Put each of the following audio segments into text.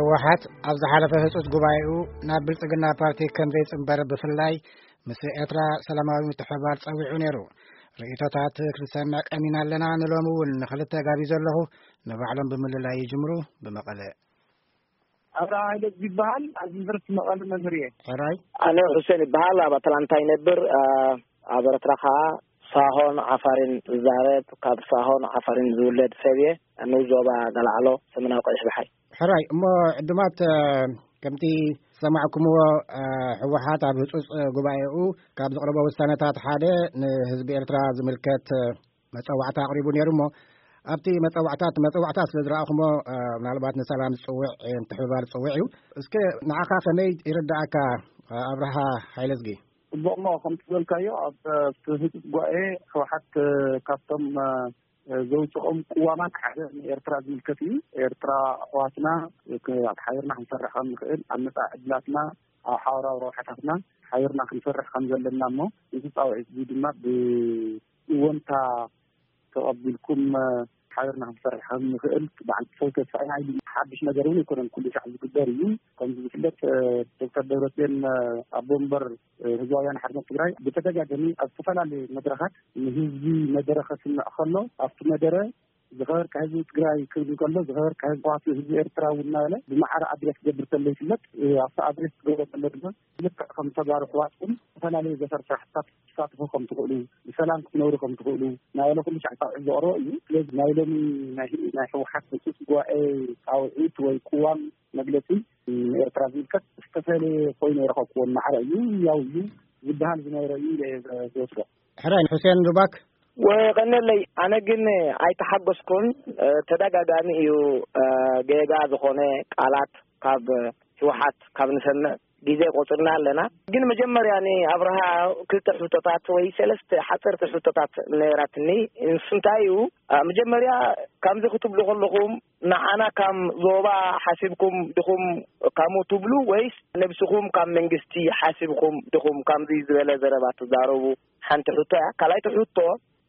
ህወሓት ኣብ ዝሓለፈ ህጹጽ ጉባኤኡ ናብ ብልጽግና ፓርቲ ከም ዘይጽንበር፣ ብፍላይ ምስ ኤርትራ ሰላማዊ ምትሕብባር ጸዊዑ ነይሩ። ርእይቶታት ክንሰምዕ ቀኒና ኣለና። ንሎሚ እውን ንኽልተ ጋቢዞ ኣለኹ። ንባዕሎም ብምልላይ ይጅምሩ። ብመቐለ። ኣብርሃ ሃይለ ይበሃል። ኣብ ዩኒቨርሲቲ መቐለ መምህር እየ። ሕራይ። ኣነ ሁሴን ይበሃል። ኣብ ኣትላንታ ይነብር። ኣ፣ ኣብ ኤርትራ ኸኣ ሳሆን ዓፋርን ዝዛረብ፣ ካብ ሳሆን ዓፋርን ዝውለድ ሰብ እየ። ንኡስ ዞባ ገላዕሎ፣ ሰሜናዊ ቀይሕ ባሕሪ። ሕራይ። እሞ ዕዱማት፣ እ፣ ከምቲ ዝሰማዕኩምዎ፣ እ፣ ህወሓት ኣብ ህጹጽ ጉባኤኡ ካብ ዘቕረቦ ውሳነታት ሓደ ንህዝቢ ኤርትራ ዝምልከት፣ እ፣ መጸዋዕታ ኣቕሪቡ ነይሩ። እሞ ኣብቲ መጸዋዕታት፣ መጸዋዕታ ስለ ዝረኣኹሞ፣ እ፣ ምናልባት ንሰላም ዝጽውዕ፣ እ፣ ምትሕብባር ዝጽውዕ እዩ። እስከ ንዓኻ ከመይ ይርድኣካ፣ እ፣ ኣብርሃ ሃይለዝጊ? ጽቡቕ። እሞ ከምቲ ዝበልካዮ፣ ኣብ፣ እ፣ ህጹጽ ጉባኤ ህወሓት፣ እ፣ ካብቶም፣ እ፣ ዘውጽኦም ቅዋማት ሓደ ንኤርትራ ዝምልከት እዩ። ኤርትራ ኣሕዋትና፣ ክ-፣ ሓቢርና ክንሰርሕ ከም ንኽእል፣ ኣብ መጻኢ ዕድላትና፣ ኣብ ሓበራዊ ረብሓታትና ሓቢርና ክንሰርሕ ከም ዘለና፣ እሞ እዚ ጻውዒት እዚ ድማ ብእወንታ ተቐቢልኩም፣ እ፣ ሓቢርና ክንሰርሕ ከም ንኽእል በዓል ሰው ተስፋ ኢና ኢሉ። ሓድሽ ነገር እውን ኣይኮነን፣ ኩሉ ሻዕ ዝግበር እዩ። ከምዚ ዝፍለጥ፣ እ፣ ዶክተር ደብረጽዮን፣ እ፣ ኣቦ ወንበር፣ እ፣ ህዝባውያን ሓርነት ትግራይ ብተደጋጋሚ ኣብ ዝተፈላለዩ መድረኻት ንህዝቢ መደረ ከስምዕ ከሎ፣ ኣብቲ መደረ ዝኸበርካ ህዝቢ ትግራይ ክብል እንከሎ፣ ዝኸበርካ ህዝቢ፣ ህዝቢ ኤርትራ እውን እናበለ ብማዕረ ኣድሬስ ክገብር ከሎ ይፍለጥ። እ፣ ኣብቲ ኣድሬስ ክገብሮ ከሎ ድማ ልክዕ ከም ተጋሩ ኣሕዋትኩም ዝተፈላለዩ ዘፈር ስራሕትታት ክትሳተፉ ከም ትኽእሉ፣ ብሰላም ክትነብሩ ከም ትኽእሉ እናበለ ኩሉ ሻዕ ጻውዒት ዘቕረቦ እዩ። ስለዚ ናይ ሎሚ ናይ፣ ናይ ህወሓት ህጹጽ ጉባኤ ጻውዒት ወይ ቅዋም መግለጺ ንኤርትራ ዝምልከት ዝተፈለየ ኮይኑ ኣይረኸብኩዎን። ማዕረ እዩ፣ ያው እዩ ዝበሃል ዝነበረ እዩ ኢለ እየ ዝወስዶ። ሕራይ። ሑሴን ሩባክ። ወቀነለይ፣ ኣነ ግን ኣይተሓጎስኩን። እ፣ ተደጋጋሚ እዩ፣ እ፣ ጌጋ ዝኾነ ቃላት ካብ ህወሓት ካብ ንሰምዕ ግዜ ቆጽርና ኣለና። ግን መጀመርያ ንኣብርሃ ክልተ ሕቶታት ወይ ሰለስተ ሓጸርቲ ሕቶታት ነይራትኒ። ንሱ እንታይ እዩ፣ እ፣ መጀመርያ ከምዚ ክትብሉ ከለኹም ንዓና ከም ዞባ ሓሲብኩም ድኹም ከምኡ ትብሉ ወይስ ነብስኹም ካብ መንግስቲ ሓሲብኩም ድኹም ከምዚ ዝበለ ዘረባ ትዛረቡ? ሓንቲ ሕቶ እያ። ካልኣይቲ ሕቶ፣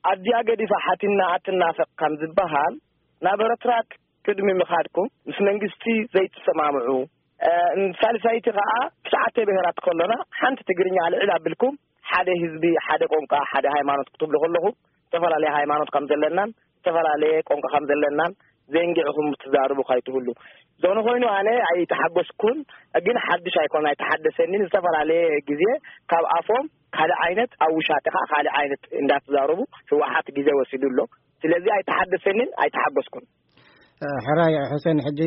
ኣዝያ ገዲፋ ሓቲና ኣትናፈቕ ከም ዝበሃል፣ ናብ ኤርትራ ቅድሚ ምኻድኩም ምስ መንግስቲ ዘይትሰማምዑ፣ እ፣ ሳልሳይቲ ከኣ ትሽዓተ ብሄራት ከሎና ሓንቲ ትግርኛ ልዕል ኣቢልኩም ሓደ ህዝቢ፣ ሓደ ቋንቋ፣ ሓደ ሃይማኖት ክትብሉ ከለኹም ዝተፈላለየ ሃይማኖት ከም ዘለናን ዝተፈላለየ ቋንቋ ከም ዘለናን ዘንጊዕኹም ትዛረቡ ከይትህሉ። ዝኾነ ኮይኑ ኣነ ኣይተሓጎስኩን፣ ግን ሓድሽ ኣይኮን፣ ኣይተሓደሰኒን። ዝተፈላለየ ግዜ ካብ ኣፎም ካልእ ዓይነት፣ ኣብ ውሻጠ ከኣ ካልእ ዓይነት እንዳተዛረቡ ህወሓት ግዜ ወሲዱ ኣሎ። ስለዚ ኣይተሓደሰኒን፣ ኣይተሓጎስኩን። እ፣ ሕራይ ሑሴን፣ ሕጂ፣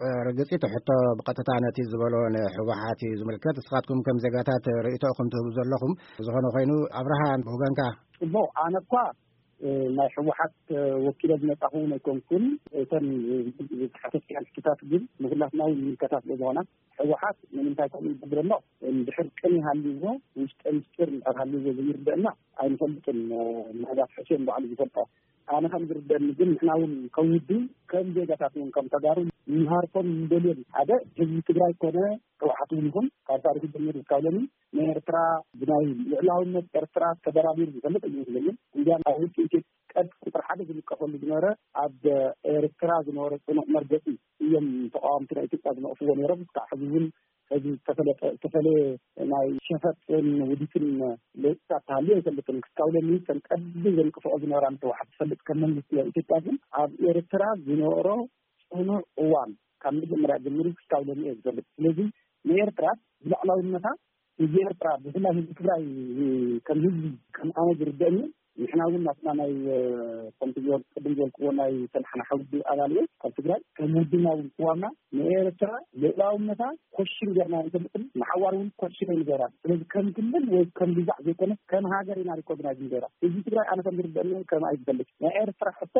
እ፣ ርግጺ እቲ ሕቶ ብቐጥታ ነቲ ዝበሎ ንህወሓት እዩ ዝምልከት። ንስኻትኩም ከም ዜጋታት ርእይቶኹም ትህቡ ዘለኹም። ዝኾነ ኮይኑ ኣብርሃ፣ ብወገንካ? ጽቡቕ። ኣነ እኳ፣ እ፣ ናይ ህወሓት፣ እ፣ ወኪለ ዝመጻኹ እውን ኣይኮንኩን። እተን፣ እ፣ ዝተሓተትክያን ሕቶታት ግን ንኹላትና እውን ይምልከታ ስለ ዝኾና፣ ህወሓት ንምንታይ ከምኡ ይገብር ኣሎ? እንድሕር ቅን ይሃልዎ፣ ውሽጠ ምስጢር እንድሕር ሃልዎ ዘይርደአና ኣይንፈልጥን። እ፣ ምናልባት ሕሴን ባዕሉ ዝፈልጦ። ኣነ ከም ዝርደአኒ ግን ንሕና እውን ከም ውድብ፣ ከም ዜጋታት እውን ከም ተጋሩ ንሃርፎም ንደልዮን ሓደ ህዝቢ ትግራይ ኮነ ህወሓት እውን ይኹን ካብ ታሪኹ ጀሚሩ እስካብ ሎሚ ንኤርትራ ብናይ ልዕላውነት ኤርትራ ተደራዲሩ ዝፈልጥ ኣይመስለንን። እንዲያም ኣብ ውሽጢ ኢትዮጵያ ቀድ ቁፅሪ ሓደ ዝንቀፈሉ ዝነበረ ኣብ ኤርትራ ዝነበረ ፅኑዕ መርገፂ እዮም ተቃወምቲ ናይ ኢትዮጵያ ዝነቕፍዎ ነይሮም። እስካዕ ሕዚ እውን እዚ ዝተፈለጠ፣ ዝተፈለየ ናይ ሸፈጥን ውዲትን ለውጥታት ተሃልዩ ኣይፈልጥን። ክሳብ ሎሚ ከም ቀንዲ ዘንቅፍኦ ዝነበራ ንህወሓት ዝፈልጥ ከም መንግስቲ ናይ ኢትዮጵያ ግን ኣብ ኤርትራ ዝነበሮ ጽኑዕ እዋን ካብ መጀመርያ ጀሚሩ ክሳብ ሎሚ እየ ዝፈልጥ። ስለዚ ንኤርትራ ብልዕላውነታ ህዝቢ ኤርትራ ብፍላይ ህዝቢ ትግራይ ከም ህዝቢ ከም ኣነ ዝርደእኒ ንሕና እውን ናትና ናይ፣ እ፣ ከምቲ ዝበል-፣ ቅድም ዝበልክዎ ናይ ሰልሓና ሓውዲ ኣባል እየ ካብ ትግራይ። ከም ውድብና እውን ቅዋምና ንኤርትራ ልዕላውነታ ኮሽን ጌርና ኣይንፈልጥን፣ ንሓዋር እውን ኮሽን ኣይንገብራን። ስለዚ ከም ክልል ወይ ከም ግዛዕ ዘይኮነስ ከም ሃገር ኢና ሪኮግናይዝ ንገብራ። ህዝቢ ትግራይ ኣነ ከም ዝርደአኒ ከም ኣይዝፈልጥ ናይ ኤርትራ ሕቶ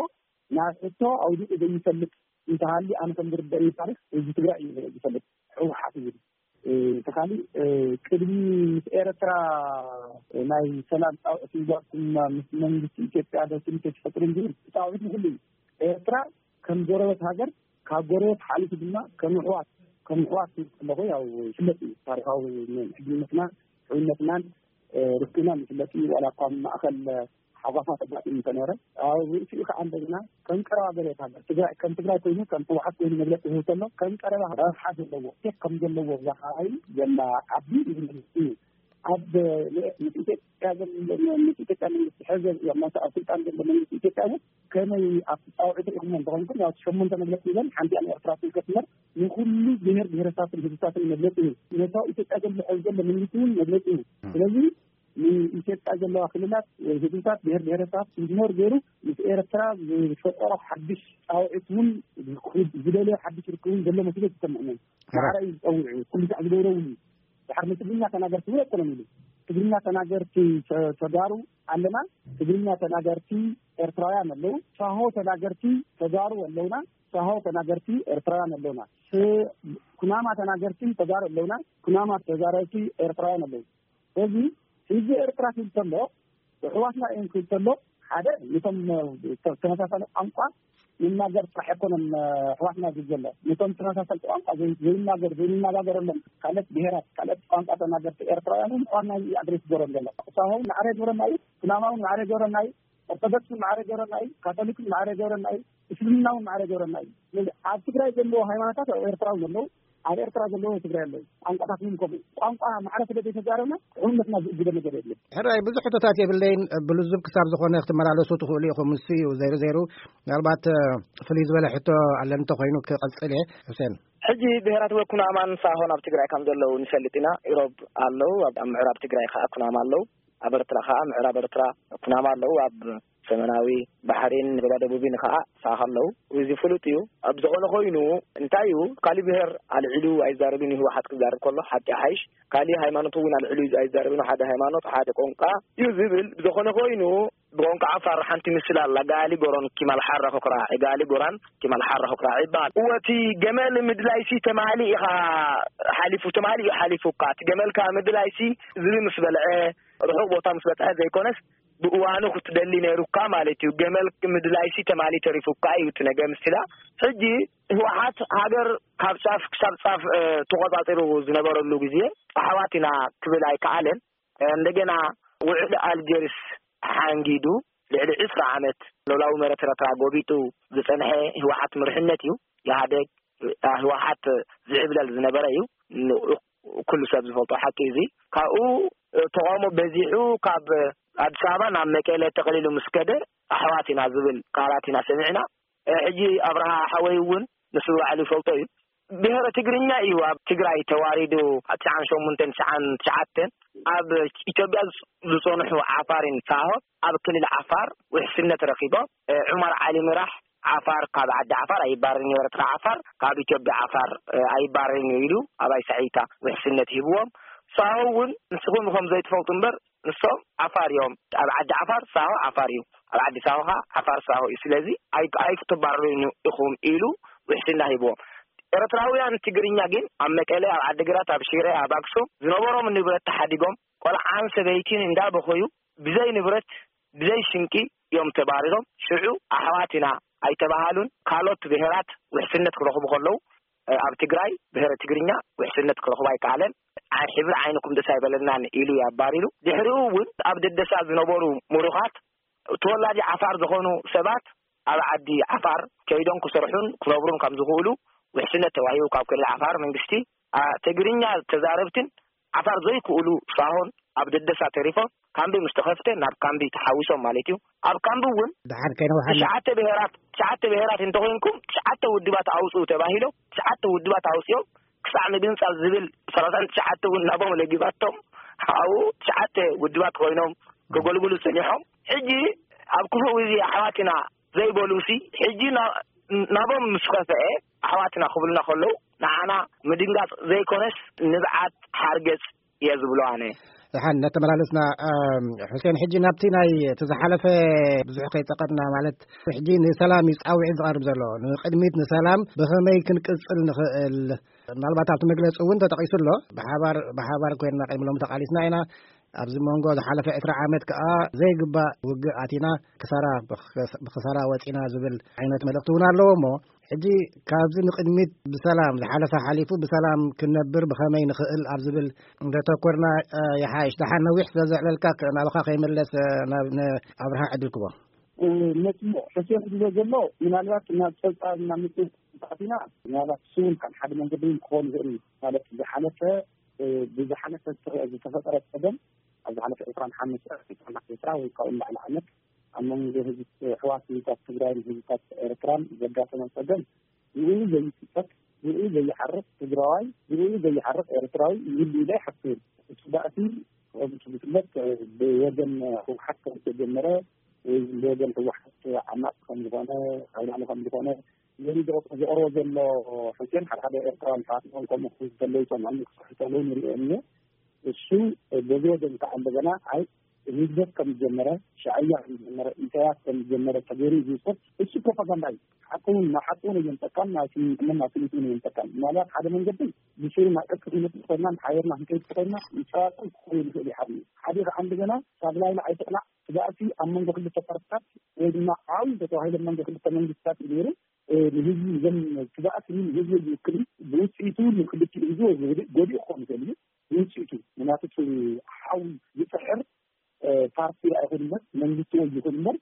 ናብ ሕቶ ኣውዲቑ ዘይፈልጥ እንተሃልዩ ኣነ ከም ዝርደአኒ ታሪኽ ህዝቢ ትግራይ እዩ ዝፈልጥ፣ ህወሓት እዩ። እ፣ እቲ ካሊእ፣ እ፣ ቅድሚ ምስ ኤርትራ ናይ ሰላም ጻውዒት ምግባርኩም ምስ መንግስቲ ኢትዮጵያ ዶ ትምኒት ኣይትፈጥሩን ዝብል ጻውዒት ንኹሉ እዩ። ኤርትራ ከም ጎረቤት ሃገር፣ ካብ ጎረቤት ሓሊፉ ድማ ከም ኣሕዋት፣ ከም ኣሕዋት ክብል ከለኹ ያው ይፍለጥ እዩ። ታሪኻዊ ሕድነትና፣ ሕውነትናን፣ እ፣ ርክብናን ይፍለጥ እዩ። ዋላ እኳ ኣብ ማእከል ሓጓፋት ኣጋጢሙ እንተነረ፣ ኣብ ርእሲኡ ከዓ እንደገና ከም ቀረባ ጎረቤት ሃገር ትግራይ፣ ከም ትግራይ ኮይኑ፣ ከም ህወሓት ኮይኑ መግለፂ ዝህብ ከሎ ከም ቀረባ ረብሓ ዘለዎ ቴክ ከም ዘለዎ እዛ ከባቢ ዘላ ዓዲ እዩ። ኣብ ኢትዮጵያ ዘሎ ኢትዮጵያ መንግስቲ ሕዘ ኣብ ስልጣን ዘሎ መንግስቲ ኢትዮጵያ እውን ከመይ ኣብ ፃውዒት ርኢኹሞ እንተኾንኩም፣ ያው ሸሞንተ መግለፂ ይበል፣ ሓንቲ ኣብ ኤርትራ ትንከትመር ንኩሉ ብሔር ብሔረሰባትን ህዝብታትን መግለፂ እዩ። ነታ ኢትዮጵያ ዘሎ ሕዚ ዘሎ መንግስቲ እውን መግለፂ እዩ። ስለዚ ንኢትዮጵያ ዘለዋ ክልላት ወይ ህዝብታት ብሔር ብሔረሰባት ኢግኖር ገይሩ ምስ ኤርትራ ዝፈጠሮ ሓድሽ ፃውዒት እውን ዝደለዮ ሓድሽ ርክብ እውን ዘሎ መስሎ ዝሰምዕ። ማዕረ እዩ ዝፀውዑ፣ ኩሉ ሳዕ ዝገብሮ እውን እዩ። ድሓር ንትግርኛ ተናገርቲ እውን ኣይኮነን ኢሉ። ትግርኛ ተናገርቲ ተጋሩ ኣለና፣ ትግርኛ ተናገርቲ ኤርትራውያን ኣለዉ፣ ሳሆ ተናገርቲ ተጋሩ ኣለውና፣ ሳሆ ተናገርቲ ኤርትራውያን ኣለውና፣ ኩናማ ተናገርቲ ተጋሩ ኣለውና፣ ኩናማ ተዛረብቲ ኤርትራውያን ኣለዉ። ስለዚ ህዝቢ ኤርትራ ክብል ከሎ ኣሕዋትና እዮም ክብል ከሎ ሓደ ነቶም ተመሳሳሊ ቋንቋ ይናገር ጥራሕ ኣይኮነን ኣሕዋትና ዝብል ዘሎ፣ ነቶም ተመሳሳሊ ቋንቋ ዘይናገር ዘይንነጋገረሎም ካልኦት ብሄራት ካልኦት ቋንቋ ተናገርቲ ኤርትራውያን እውን ኣሕዋትና ኣድሬስ ገሮም ዘሎ። ሳሆ እውን ማዕረ ገሮም እዩ፣ ኩናማ እውን ማዕረ ገሮም እዩ፣ ኦርቶዶክስ እውን ማዕረ ገሮም እዩ፣ ካቶሊክ እውን ማዕረ ገሮም እዩ፣ እስልምና እውን ማዕረ ገሮም እዩ። ስለዚ ኣብ ትግራይ ዘለዎ ሃይማኖታት ኣብ ኤርትራ እውን ኣለዉ፣ ኣብ ኤርትራ ዘለዎ ትግራይ ኣለዉ። ቋንቋታት እውን ከምኡ። ቋንቋ ማዕረ ስለ ዘይተዛረብና ሕውነትና ዝእግደ ነገር የለን። ሕራይ ብዙሕ ሕቶታት የብለይን፣ ብልዙብ ክሳብ ዝኾነ ክትመላለሱ ትኽእሉ ኢኹም። ንሱ እዩ ዘይሩ ዘይሩ። ምናልባት ፍልይ ዝበለ ሕቶ ኣለን እንተኾይኑ ክቐፅል እየ። ሕሴን። ሕጂ ብሔራት ወኩናማን ሳሆን ኣብ ትግራይ ከም ዘለዉ ንፈልጥ ኢና። ኢሮብ ኣለዉ፣ ኣብ ምዕራብ ትግራይ ከዓ ኩናማ ኣለዉ። ኣብ ኤርትራ ከዓ ምዕራብ ኤርትራ ኩናማ ኣለዉ፣ ኣብ ሰሜናዊ ባሕሪን ዞባ ደቡብን ከዓ ሳሆ ኣለዉ። እዚ ፍሉጥ እዩ። ኣብ ዝኾነ ኮይኑ እንታይ እዩ፣ ካሊእ ብሔር ኣልዒሉ ኣይዛረብን እዩ። ህወሓት ክዛረብ ከሎ ሓቂ ሓይሽ፣ ካሊእ ሃይማኖት እውን ኣልዒሉ ኣይዛረብን፣ ሓደ ሃይማኖት ሓደ ቋንቋ እዩ ዝብል። ብዝኾነ ኮይኑ ብቋንቋ ዓፋር ሓንቲ ምስላ ኣላ፣ ጋሊ ጎሮን ኪማል ሓራ ኹክራ፣ ጋሊ ጎራን ኪማል ሓራ ኹክራ ይበሃል። እወ እቲ ገመል ምድላይሲ ተማሊ ኢኻ ሓሊፉ፣ ተማሊ እዩ ሓሊፉካ። እቲ ገመልካ ምድላይሲ ዝቢ ምስ በልዐ፣ ርሑቕ ቦታ ምስ በፅሐ ዘይኮነስ ብእዋኑ ክትደሊ ነይሩካ ማለት እዩ። ገመል ምድላይሲ ተማሊ ተሪፉካ እዩ እቲ ነገር ምስላ። ሕጂ ህወሓት ሃገር ካብ ጫፍ ክሳብ ጫፍ ተቆፃፂሩ ዝነበረሉ ግዜ ኣሕዋት ኢና ክብል ኣይከኣለን። እንደገና ውዕል ኣልጀርስ ሓንጊዱ ልዕሊ ዕስራ ዓመት ሎላዊ መሬት ኤርትራ ጎቢጡ ዝፀንሐ ህወሓት ምርሕነት እዩ። ኢህኣደግ ህወሓት ዝዕብለል ዝነበረ እዩ። ኩሉ ሰብ ዝፈልጦ ሓቂ እዚ። ካብኡ ተቃውሞ በዚሑ ካብ ኣዲስ ኣበባ ናብ መቀለ ተቐሊሉ ምስ ከደ ኣሕዋት ኢና ዝብል ቃላት ኢና ሰሚዕና። ሕጂ ኣብርሃ ሓወይ እውን ንሱ ባዕሉ ይፈልጦ እዩ። ብሔረ ትግርኛ እዩ ኣብ ትግራይ ተዋሪዱ። ኣብ ትሽዓን ሸሞንተን ትሽዓን ትሽዓተን ኣብ ኢትዮጵያ ዝፀንሑ ዓፋርን ሳሆ ኣብ ክልል ዓፋር ውሕስነት ረኪቦም። ዑመር ዓሊ ምራሕ ዓፋር ካብ ዓዲ ዓፋር ኣይባረርን እዩ፣ ኤርትራ ዓፋር ካብ ኢትዮጵያ ዓፋር ኣይባረርን እዩ ኢሉ ኣባይ ሳዒታ ውሕስነት ሂብዎም። ሳሆ እውን ንስኹም ኢኹም ዘይትፈልጡ እምበር ንሶም ዓፋር እዮም። ኣብ ዓዲ ዓፋር ሳሆ ዓፋር እዩ፣ ኣብ ዓዲ ሳሆ ከዓ ዓፋር ሳሆ እዩ። ስለዚ ኣይክትባረሩን ኢኹም ኢሉ ውሕስና ሂብዎም። ኤርትራውያን ትግርኛ ግን ኣብ መቀለ፣ ኣብ ዓዲግራት፣ ኣብ ሽረ፣ ኣብ ኣክሱም ዝነበሮም ንብረት ተሓዲጎም ቆልዓን ሰበይቲን እንዳበኸዩ ብዘይ ንብረት ብዘይ ስንቂ እዮም ተባሪሮም። ሽዑ ኣሕዋት ኢና ኣይተባሃሉን። ካልኦት ብሄራት ውሕስነት ክረኽቡ ከለዉ ኣብ ትግራይ ብሄረ ትግርኛ ውሕስነት ክረኽቡ ኣይከኣለን። ሕብሪ ዓይንኩም ደስ ኣይበለናን ኢሉ እዩ ኣባሪሩ። ድሕሪኡ እውን ኣብ ደደሳ ዝነበሩ ምሩኻት ተወላዲ ዓፋር ዝኾኑ ሰባት ኣብ ዓዲ ዓፋር ከይዶም ክሰርሑን ክነብሩን ከም ዝኽእሉ ውሕስነት ተዋሂቡ ካብ ክልል ዓፋር መንግስቲ። ትግርኛ ተዛረብትን ዓፋር ዘይክእሉ ሳሆን ኣብ ደደሳ ተሪፎም ካምቢ ምስ ተኸፍተ ናብ ካምቢ ተሓዊሶም ማለት እዩ። ኣብ ካምቢ እውን ድሓር ከይነውሓና ትሽዓተ ብሄራት ትሽዓተ ብሄራት እንተኾይንኩም ትሽዓተ ውድባት ኣውፅኡ ተባሂሎም ትሽዓተ ውድባት ኣውፅኦም ክሳዕ ምግንፃል ዝብል ሰላሳን ትሽዓተ እውን ናቦም ለጊባቶም ኣብኡ ትሽዓተ ውድባት ኮይኖም ከገልግሉ ፀኒሖም። ሕጂ ኣብ ክፉእ ግዜ ኣሕዋትና ዘይበሉሲ ሕጂ ናቦም ምስ ከፍአ ኣሕዋትና ክብሉና ከለዉ ንዓና ምድንጋፅ ዘይኮነስ ንብዓት ሓርገፅ እየ ዝብሎ ኣነ። ደሓን እናተመላለስና፣ ሕሴን፣ ሕጂ ናብቲ ናይ እቲ ዝሓለፈ ብዙሕ ከይፀቐጥና፣ ማለት ሕጂ ንሰላም እዩ ፃውዒት ዝቐርብ ዘሎ። ንቅድሚት ንሰላም ብኸመይ ክንቅፅል ንኽእል? ምናልባት ኣብቲ መግለፂ እውን ተጠቒሱ ኣሎ። ብሓባር ብሓባር ኮይንና ቅድሚ ሎሚ ተቓሊስና ኢና። ኣብዚ መንጎ ዝሓለፈ ዕስራ ዓመት ከዓ ዘይግባእ ውግእ ኣቲና ክሳራ ብክሳራ ወፂና ዝብል ዓይነት መልእኽቲ እውን ኣለዎ። እሞ ሕጂ ካብዚ ንቕድሚት ብሰላም፣ ዝሓለፈ ሓሊፉ ብሰላም ክንነብር ብኸመይ ንኽእል ኣብ ዝብል እንተተኮርና፣ እ፣ ይሓይሽ። ደሓን ነዊሕ ስለ ዘዕለልካ፣ ክ-፣ ናባኻ ከይመለስ፣ እ፣ ናብ ንኣብርሃ ዕድል ክቦ። እ፣ ነቲ ሕሴን ዝብሎ ዘሎ፣ ምናልባት ናብ ጸብጻብ ናብ ምጽእ ኣቲና፣ ምናልባት እሱ እውን ከም ሓደ መንገዲ እውን ክኸውን ይኽእል እዩ። ማለት ዝሓለፈ፣ እ፣ ብዝሓለፈ ዝተፈ-፣ ዝተፈጠረ ጸገም፣ ኣብ ዝሓለፈ ዕስራን ሓሙሽተን፣ ዕስራን ዓሰርተ ወይ ካብኡ ንላዕሊ ዓመት ኣብ መንጎ ህዝቢ፣ ኣሕዋት ህዝብታት ትግራይን ህዝብታት ኤርትራን ዘጋጠመ ጸገም ብኡ ዘይጽጸት፣ ብኡ ዘይሓርቕ ትግራዋይ፣ ብኡ ዘይሓርቕ ኤርትራዊ ይህሉ ኢለ ኣይሓስብን። እቲ ባእሲ ከምቲ ዝፍለጥ ብወገን ህወሓት ከም ዝተጀመረ ወይ ብወገን ህወሓት ዓማፅ ከም ዝኾነ፣ ካብ ላዕሊ ከም ዝኾነ፣ ነዚ ዘቕርቦ ዘሎ ሕሴን ሓደ ሓደ ኤርትራውያን ኣሕዋትና እውን ከምኡ ክኾኑ ከለዉ ይሰምዑኒ ክስሕቱ ከለዉ ንሪኦም እየ። እሱ በዚ ወገን ከዓ እንደገና ኣይ ህግደፍ ከም ዝጀመረ፣ ሻዕያ ከም ዝጀመረ፣ ኢሳያስ ከም ዝጀመረ ተገይሩ እዩ ዝውሰድ። እሱ ፕሮፓጋንዳ እዩ። ሓቂ እውን ናብ ሓቂ እውን እየምፀካን ናብ ስምምዕነት ናብ ስምምዕነት እውን እየምፀካን። ምናልባት ሓደ መንገዲ ብስሩ ናብ ዕርቂ ክንመፅእ ተኾይንና፣ ሓቢርና ክንከይድ ተኾይንና፣ ይፀዋፀን ክኸውን ይኽእል እዩ ሓደ እዩ። ሓደ ከዓ እንደገና ካብ ላይላ ኣይትቕላዕ፣ እቲ ባእሲ ኣብ መንጎ ክልተ ፓርትታት ወይ ድማ ዓብዪ ተተባሂለ መንጎ ክልተ መንግስታት እዩ ነይሩ። እ፣ ንህዝቢ ዘም-፣ እቲ ባእሲ ንህዝቢ ዝውክል እዩ። ብውፅኢቱ ንክልቲኡ ህዝቢ ወይ ጎዲኡ ክኸውን ይኽእል እዩ። ብውፅኢቱ ምክንያቱ እቲ ሓዊ ዝፅሕር፣ እ፣ ፓርቲ ኣይኹን እምበር መንግስቲ ወይ ይኹን እምበር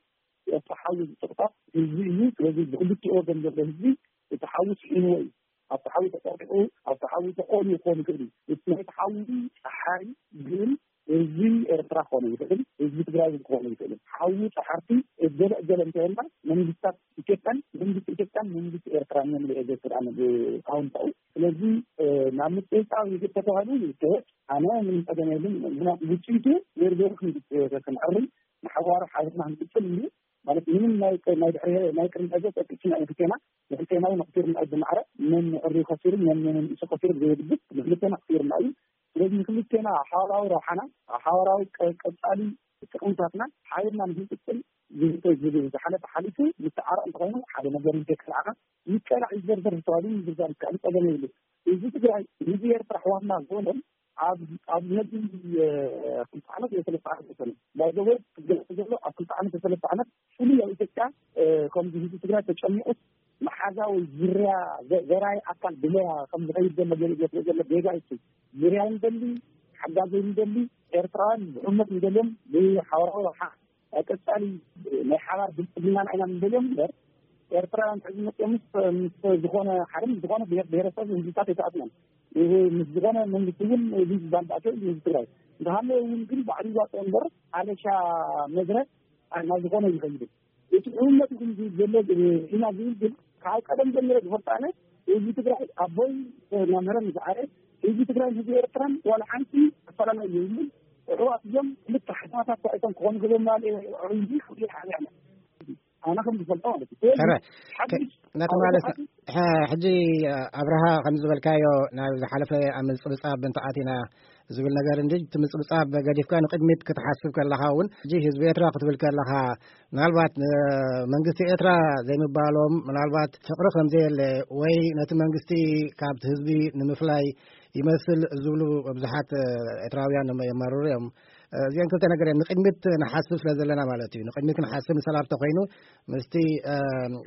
እቲ ሓዊ ዝፅቕጣት ህዝቢ እዩ። ስለዚ ብክልቲኡ ወገን ዘሎ ህዝቢ እቲ ሓዊ ስሒንዎ እዩ። ኣብቲ ሓዊ ተፀቂጡ፣ ኣብቲ ሓዊ ተቆልዩ ክኾን ይኽእል እዩ። እቲ ናይቲ ሓዊ ፀሓይ ግን ህዝቢ ኤርትራ ክኾን ይኽእል፣ ህዝቢ ትግራይ እውን ክኾን ይኽእል። ሓዊ ፀሓርቲ እገለ እገለ እንተበልና መንግስታት ኢትዮጵያን መንግስቲ ኢትዮጵያን መንግስቲ ኤርትራን እዮም ዝእገ ስልጣን ብኣውንታኡ። ስለዚ፣ እ፣ ናብ ምጽብጻብ ይግብ ተተባሂሉ ይካየድ። ኣነ ምንም ጸገም የብሉን። ምክንያቱ ውጽኢቱ ዜሮ ዜሮ ክንድ-፣ ክንዕርም ንሓዋሩ ሓቢርና ክንቅጽል እዩ። ማለት ምንም ናይ፣ ናይ ድሕሪ፣ ናይ ቅድሚ ሕዚ ጸቂጥና እዩ ክልቴና። ንክልቴና እውን ኣኽሲርና እዩ ብማዕረ። መን ዕርዩ ከሲሩ፣ መን፣ መን ንእሱ ከሲሩ ብዘየግድስ ንክልቴና ኣኽሲርና እዩ። ስለዚ ንክልቴና ሓዋራዊ ረብሓና፣ ሓዋራዊ ቀ-፣ ቀጻሊ ጥቕምታትና ሓቢርና ንክንቅጽል ዝህተ-፣ ዝግ-፣ ዝሓለፈ ሓሊፉ ይተዓረቕ እንተኾይኑ ሓደ ነገር እንተይከልዓና ይቀላዕ ይዘርዘር ዝተባህሉ ምዝርዛር ይከኣል፣ ጸገም የብሉ። ህዝቢ ትግራይ፣ ህዝቢ ኤርትራ ኣሕዋትና ዝበሎም ኣብ፣ ኣብ ነዚ፣ እ፣ ክልተ ዓመት ወይ ሰለስተ ዓመት ይኾኑ። ባይ ዘ ወይ ክገለጽ ዘሎ ኣብ ክልተ ዓመት ወይ ሰለስተ ዓመት ፍሉይ ኣብ ኢትዮጵያ፣ እ፣ ከምዚ ህዝቢ ትግራይ ተጨሚቑስ መሓዛ ወይ ዝርያ ዘ-፣ ዘራይ ኣካል ብለያ ከም ዝኸይድ ዘሎ ገለ ዘፍለ ዘሎ ጌጋ እዩ። ዝርያ ንደሊ፣ ሓጋዘይ ንደሊ፣ ኤርትራውያን ብሕመት ንደልዮም ብሓበራዊ ረብሓ ናይ ቀጻሊ ናይ ሓባር ብልጽግናና ኢና ንደልዮም እምበር፣ ኤርትራውያን ሕዚ መጽኦም ምስ፣ ምስ ዝኾነ ሓደ ምስ ዝኾነ ብሄር፣ ብሄረሰብ ህዝብታት ኣይተኣስናን። ምስ ዝኾነ መንግስቲ እውን እዚ ዝበሃል ባእሲ ህዝቢ ትግራይ እንተሃለወ እውን ግን ባዕሉ ይዋፅኦ እምበር ኣለሻ መድረ ናብ ዝኾነ ይኸይድን። እቲ ሕውነት ግን ዘሎ ኢና ዝብል ግን ካብ ቀደም ጀምረ ዝፈልጣነ ህዝቢ ትግራይ ኣቦይ መምህረ ምስ ዓረ ህዝቢ ትግራይ ህዝቢ ኤርትራን ዋላ ሓንቲ ኣፈላላይ የብሉን። እሕዋት እዮም። ክልተ ሓሳባት እኳ እቶም ክኾኑ ገሎም ማለት እዩ። ዕብይ ክፍሊ ሓቢርና ኣነ ከም ዝፈልጦ ማለት እዩ። ሕረ፣ ሓድሽ ነቲ ማለት ሓድሽ ሐ-፣ ሕጂ ኣብርሃ ከም ዝበልካዮ ናብ ዝሓለፈ ኣብ ምጽብጻብ ምንትዓት ኢና ዝብል ነገር እንጂ እቲ ምጽብጻብ ገዲፍካ ንቕድሚት ክትሓስብ ከለኻ እውን ሕጂ ህዝቢ ኤርትራ ክትብል ከለኻ ምናልባት እ፣ መንግስቲ ኤርትራ ዘይምባሎም ምናልባት ፍቕሪ ከም ዘየለ ወይ ነቲ መንግስቲ ካብቲ ህዝቢ ንምፍላይ ይመስል ዝብሉ ብዙሓት እ፣ ኤርትራውያን የማርሩ እዮም። እ፣ እዚአን ክልተ ነገር እየን ንቕድሚት ንሓስብ ስለ ዘለና ማለት እዩ። ንቕድሚት ክንሓስብ ንሰላም ተኮይኑ ምስቲ እ፣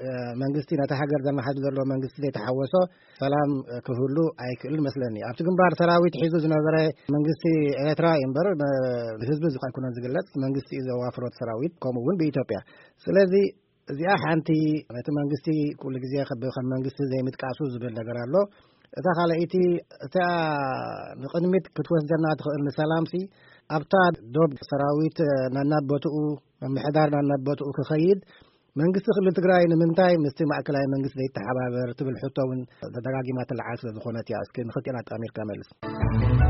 እ፣ መንግስቲ ነቲ ሃገር ዘመሓድር ዘሎ መንግስቲ ዘይተሓወሶ ሰላም ክህሉ ኣይክእልን መስለኒ። ኣብቲ ግንባር ሰራዊት ሒዙ ዝነበረ መንግስቲ ኤርትራ እዩ እምበር፣ ብ-፣ ብህዝቢ እዚ ኣይኮነን ዝግለጽ፣ መንግስቲ እዩ ዘዋፍሮ እቲ ሰራዊት፣ ከምኡ እውን ብኢትዮጵያ። ስለዚ እዚኣ ሓንቲ ነቲ መንግስቲ ኩሉ ግዜ ከብ-፣ ከም መንግስቲ ዘይምጥቃሱ ዝብል ነገር ኣሎ። እታ ካልኣይቲ፣ እታ ንቕድሚት ክትወስደና ትኽእል ንሰላምሲ፣ ኣብታ ዶብ ሰራዊት ነናብ ቦትኡ፣ ምምሕዳር ነናብ ቦትኡ ክኸይድ፣ መንግስቲ ክልል ትግራይ ንምንታይ ምስቲ ማእከላይ መንግስቲ ዘይተሓባበር ትብል ሕቶ እውን ተደጋጊማ ትለዓል ስለ ዝኾነት እያ። እስኪ ንኽልቲኤን ኣጣሚርካ መልስ።